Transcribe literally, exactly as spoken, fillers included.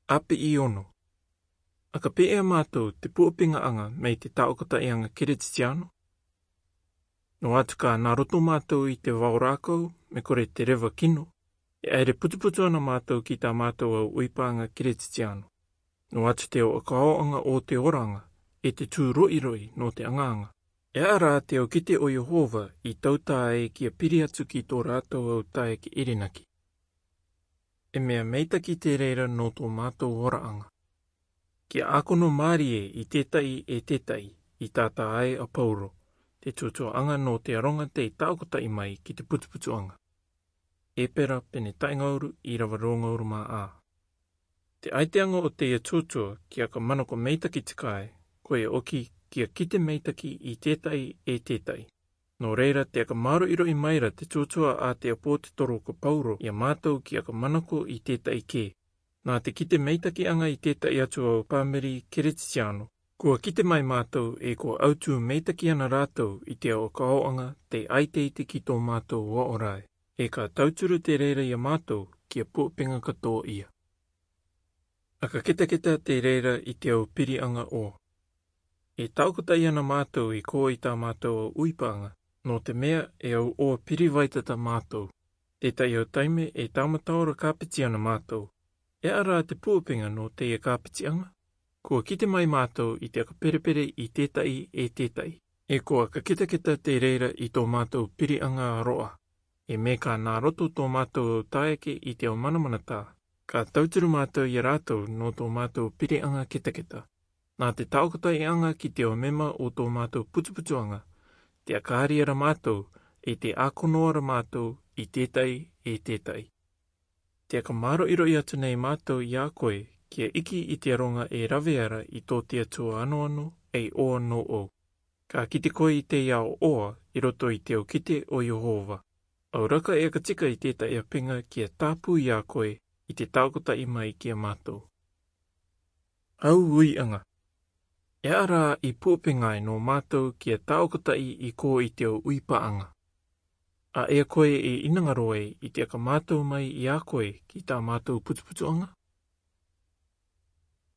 Api i ono. Aka pē ʻa mātou te puʻapengaaga mai te taʻokotaiaga Keretitiano? Noa atu ka nā roto mātou i te vao rākau, me kore te reva kino, e ʻaere putuputu ana mātou ki tā mātou au ʻoipāga Keretitiano. Noa atu te ao ʻakaoaga o te oraaga, e te tū roʻiroʻi nō te agaaga. E aha rā te au kite o Iehova i tautā ai kia piri atu ki tō rātou au taeaʻe ʻerenaki? E mea meitaki te reira nō tō mātou oraaga. Kia ʻākono mārie i tētaʻi e tētaʻi, i tātā ai a Pauro, te tuatuaaga nō te aroga tei taʻokotaʻi mai ki te putuputuaga. Epera pene taʻingauru, irava rōngauru mā ā. Te ʻaiteaga o teie tuatua kia ka manako meitaki te kae, koia ʻoki kia kite meitaki i tētaʻi e tētaʻi. Nō reira te aka māroʻiroʻi maira te tuatua a te ʻāpōtetoro ko Pauro ia mātou kia ka manako i tētaʻi kē. Nā te kite meitakiaga i tētaʻi atu au pāmiri Keretitiano, kua kite mai mātou e kua autū meitaki ana rātou i te ao ʻakaoaga tei ʻaiteite ki tō mātou aorae, e ka tauturu te reira ia mātou kia puʻapega katoa ia. Aka ketaketa te reira i te au piriaga ʻoa. E taʻokotaʻi ana mātou i kō i tā mātou au ʻoipāga, nō te mea e au ʻoa pirivaita tā mātou. Tētaʻi au taime e tāmata ora kāpeti ana mātou. E aha rā te puʻapega nō teie kāpetiaga? Kua kite mai mātou i te aka perepere i tētaʻi e tētaʻi. E kua aka ketaketa te reira i tō mātou piriaga ā roa. E mea ka nā roto tō mātou au taeaʻe i te au manamanatā, ka tauturu mātou ia rātou nō tō mātou piriaga ketaketa. Nā te taʻokotaiaga ki te au mema o tō mātou putuputuaga, te aka ʻāri ara mātou, e te ʻākono ara mātou i tētaʻi e tētaʻi. Te aka māroʻiroʻi atu nei mātou ia koe kia iki i te aroga e rave ara i tō te Atua anoano, ei ʻoa nō ʻou. Ka kite koe i teie ao ʻoa i roto i te au kite o Iehova. Au raka e aka tika i tētaʻi apega kia tāpū ia koe i te taʻokotaʻi mai kia mātou. Au uiaga. E aha rā i puʻapega ai nō mātou kia taʻokotaʻi i kō i te au ʻoipāga? A ea koe e ʻinanga roa i te aka mātou mai ia koe ki tā mātou putuputuaga?